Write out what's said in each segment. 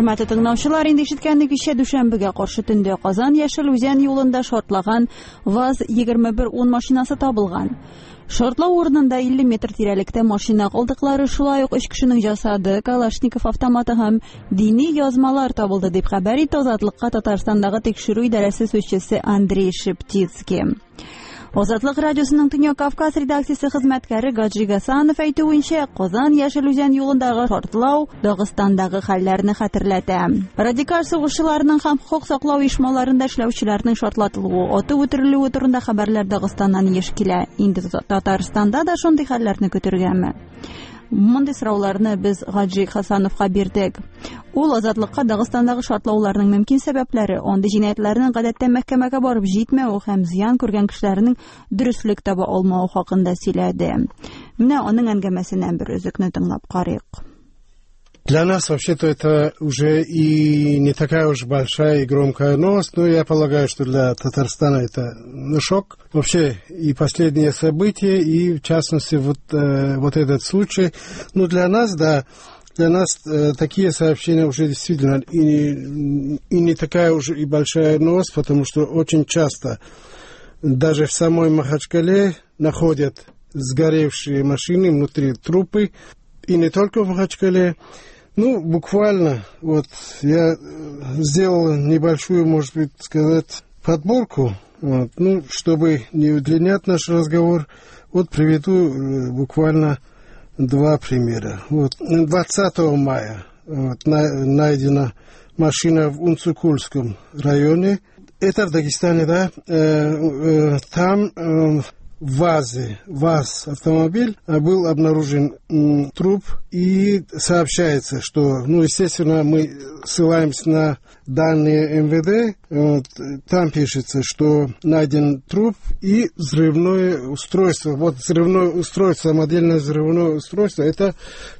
Хөрмәтле тыңлаучылар, инде ишеткәнегезчә, дүшәмбегә каршы төндә Казан Яшел Үзән юлында шартлаган ВАЗ 2110 машинасы табылган. Шартлау урынында 50 метр тирәлектә машина калдыклары, шулай ук өч кешенең җасады, Калашников автоматы һәм дини язмалар табылды, дип хәбәр итте Азатлыкка Татарстандагы тикшерү идарәсе сүзчесе Андрей Шептицкий. Азатлык радиосының Төньяк Кавказ редакциясе хезмәткәре Гаджи Гасанов әйтүенчә, Казан Яшел Үзән юлындагы шартлау Дагыстандагы хәлләрне хәтерләтә. Радикаль сугышчыларның һәм хокук саклау оешмаларында эшләүчеләрнең шартлатылуы, атып үтерелүе турында хәбәрләр Дагыстаннан еш килә. Инде Татарстанда да шундый хәлләрне көтергәме? Мондый сорауларны без Гаджи Хасановка бирдек. Ул Азатлыкка Дагыстандагы шартлауларның мөмкин сәбәпләре, андый җинаятьләрнең гадәттә мәхкәмәгә барып җитмәве һәм зыян күргән кешеләрнең дөреслек таба алмавы хакында сөйләде. Менә аның әңгәмәсеннән бер өзекне тыңлап карыйк. Для нас вообще-то это уже и не такая уж большая и громкая новость, но я полагаю, что для Татарстана это шок. Вообще и последние события, и в частности вот этот случай. Ну, для нас, да, для нас такие сообщения уже действительно и не такая уж и большая новость, потому что очень часто даже в самой Махачкале находят сгоревшие машины, внутри трупы. И не только в Махачкале. Ну, буквально, вот я сделал небольшую, может быть, сказать, подборку, вот, ну, чтобы не удлинять наш разговор, вот приведу буквально два примера. Вот, 20 мая вот, найдена машина в Унцукульском районе. Это в Дагестане, да, там ВАЗ автомобиль, был обнаружен труп, и сообщается, что, ну, естественно, мы ссылаемся на данные МВД, вот, там пишется, что найден труп и взрывное устройство. Вот взрывное устройство, самодельное взрывное устройство, это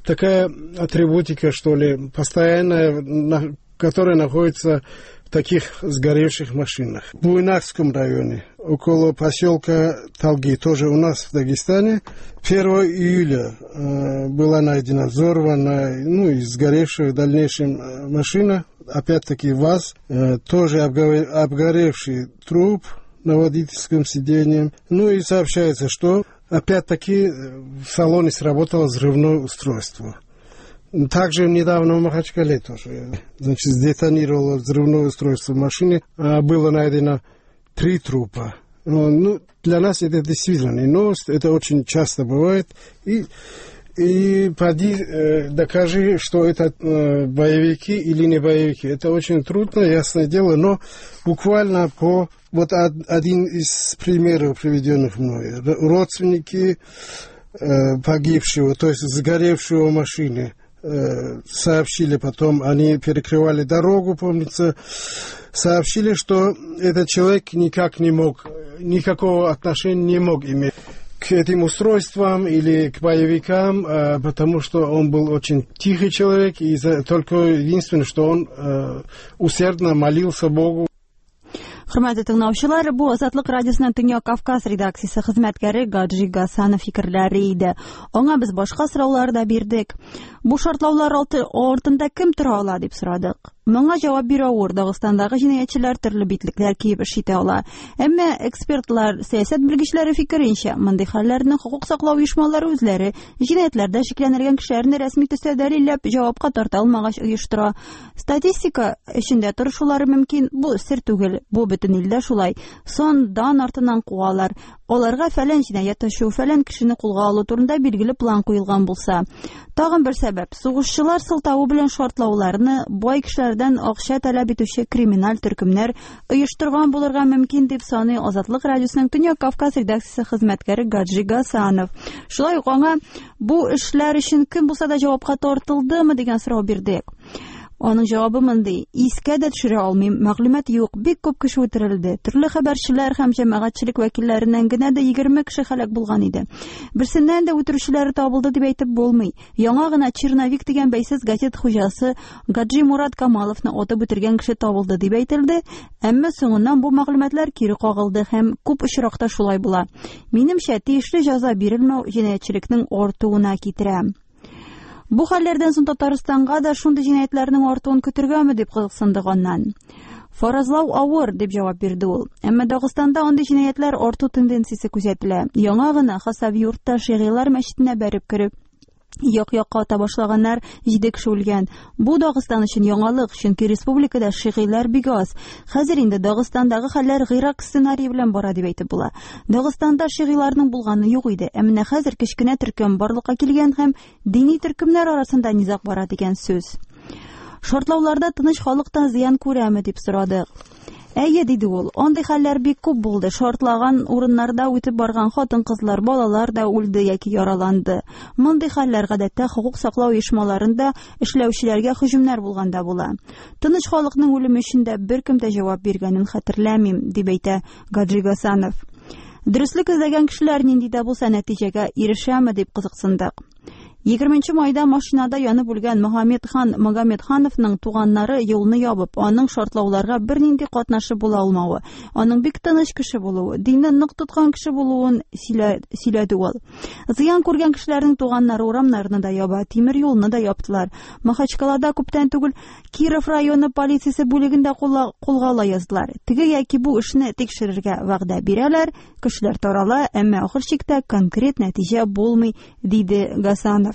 такая атрибутика, что ли, постоянная, которая находится в таких сгоревших машинах. В Буйнакском районе, около поселка Талги, тоже у нас в Дагестане, 1 июля была найдена взорванная, ну и сгоревшая в дальнейшем машина, опять-таки ВАЗ, тоже обгоревший труп на водительском сиденье. Ну и сообщается, что опять-таки в салоне сработало взрывное устройство. Также недавно в Махачкале тоже, значит, сдетонировало взрывное устройство в машине. Было найдено 3 трупа. Ну, для нас это действительно не новость, это очень часто бывает. И поди докажи, что это боевики или не боевики. Это очень трудно, ясное дело, но буквально по... Вот один из примеров, приведенных мной. Родственники погибшего, то есть сгоревшего в машине, сообщили потом, они перекрывали дорогу, помнится, сообщили, что этот человек никак не мог, никакого отношения не мог иметь к этим устройствам или к боевикам, потому что он был очень тихий человек, и только единственное, что он усердно молился Богу. Хөрмәтле тыңлаучылар, бу Азатлык радиосының Төньяк Кавказ редакциясе хезмәткәре Гаджи Гасанов фикерләре иде. Аңа без башка сораулар да бирдек. Бу шартлаулар артында кем тора ала дип сорадык. Моңа җавап бирү авыр. Дагыстандагы җинаятьчеләр төрле битлекләр киеп эш итә ала. Әмма экспертлар, сәясәт белгечләре фикеренчә, мондый хәлләрне хокук саклау оешмалары үзләре җинаятьләрдә шикләнелгән кешеләрне рәсми төстә дәлилләп җавапка тарта алмагач оештыра. Статистика эчендә торышулары мөмкин, бу сер түгел, бу бөтен илдә шулай. Сон дан артыннан куалар. Аларга фәлән җинаять ачу, фәлән кешене кулга алу турында билгеле план куелган булса. Тагын бер сәбәп, сугышчылар сылтавы белән шартлауларны бай кешеләрдән акча таләп итүче криминаль төркемнәр оештырган булырга мөмкин дип саный Азатлык радиосының Төньяк Кавказ редакциясе хезмәткәре Гаджи Гасанов. Шулай ук аңа бу эшләр өчен кем булса да җавапка тартылдымы дигән сорау бирдек. Аның җавабы мондый: искә дә төшерә алмыйм, мәгълүмат юк, бик күп кеше үтерелде. Төрле хәбәрчеләр һәм җәмәгатьчелек вәкилләреннән генә дә 20 кеше һәлак булган иде. Берсеннән дә үтерүчеләре табылды дип әйтеп булмый. Яңа гына Черновик дигән бәйсез газет хуҗасы Гаджи Мурат Камаловны атып үтергән кеше табылды дип әйтелде, әмма соңыннан бу мәгълүматлар кире кагылды һәм күп очракта шулай була. Минемчә, тиешле җәза бирелмәү җинаятьчелекнең артуына китерә. Бу хәлләрдән соң Татарстанга да шундый җинаятьләрнең артуын көтергәме дип кызыксындык аннан. Фаразлау авыр, дип җавап бирде ул. Әмма Дагыстанда андый җинаятьләр арту тенденциясе күзәтелә. Яңа гына Хасавюртта шигыйлар мәчетенә бәреп кереп, як-якка ата башлаганнар, 7 кеше үлгән. Бу Дагыстан өчен яңалык, чөнки республикада шигыйлар бик аз. Хәзер инде Дагыстандагы хәлләр Гыйрак сценарие белән бара дип әйтеп була. Дагыстанда шигыйларның булганы юк иде, ә менә хәзер кечкенә төркем барлыкка килгән һәм дини төркемнәр арасында низаг бара дигән сүз. Шартлауларда тыныч халык та зыян күрәме дип сорадык. Әйе, диде ул, андый хәлләр бик күп булды. Шартлаган урыннарда үтеп барган хатын-кызлар, балалар да үлде яки яраланды. Мондый хәлләр гадәттә хокук саклау оешмаларында эшләүчеләргә һөҗүмнәр булганда була. Тыныч халыкның үлеме өчен дә беркем дә җавап биргәнен хәтерләмим, дип әйтә Гаджи Гасанов. Дөреслек эзләгән кешеләр нинди дә булса нәтиҗәгә ирешәме дип кызыксындык. 20 майда машинада янып үлгән Мөхәммәдхан Магомедхановның туганнары юлны ябып, аның шартлауларга бернинди катнашы була алмавы, аның бик тыныч кеше булуы, динне нык тоткан кеше булуын сөйләде ул. Зыян күргән кешеләрнең туганнары урамнарны да яба, тимер юлны да яптылар. Махачкалада күптән түгел Киров районы полициясе бүлегендә кулга ала яздылар. Теге яки бу эшне тикшерергә вәгъдә бирәләр, кешеләр тарала, әмма ахыр чиктә конкрет нәтиҗә булмый, диде Гасанов.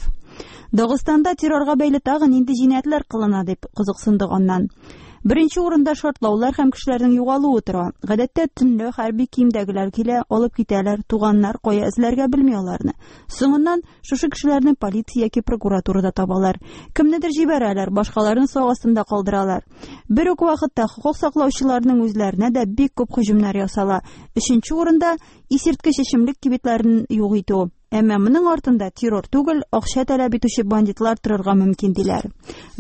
Дагыстанда террорга бәйле тагы нинди җинаятьләр кылына дип кызыксындык аннан. Беренче урында шартлаулар һәм кешеләрнең югалуы тора. Гадәттә төнлә хәрби киемдәгеләр килә, алып китәләр, туганнар кая эзләргә белми аларны. Соңыннан шушы кешеләрне полиция яки прокуратурада табалар. Кемнедер җибәрәләр, башкаларын сак астында калдыралар. Бер үк вакытта хокук саклаучыларның үзләренә дә бик күп һөҗүмнәр ясала. Өченче урында исерткеч эчемлек кибетләрен юк итү. Әмма моның артында террор түгел, акча таләп итүче бандитлар торырга мөмкин диләр.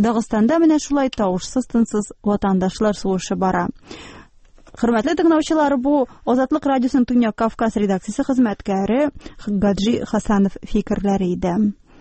Дагыстанда менә шулай тавышсыз-тынсыз ватандашлар сугышы бара. Хөрмәтле тыңлаучылар, бу Азатлык радиосының Төньяк Кавказ редакциясе хезмәткәре Гаджи Хасанов фикерләре иде.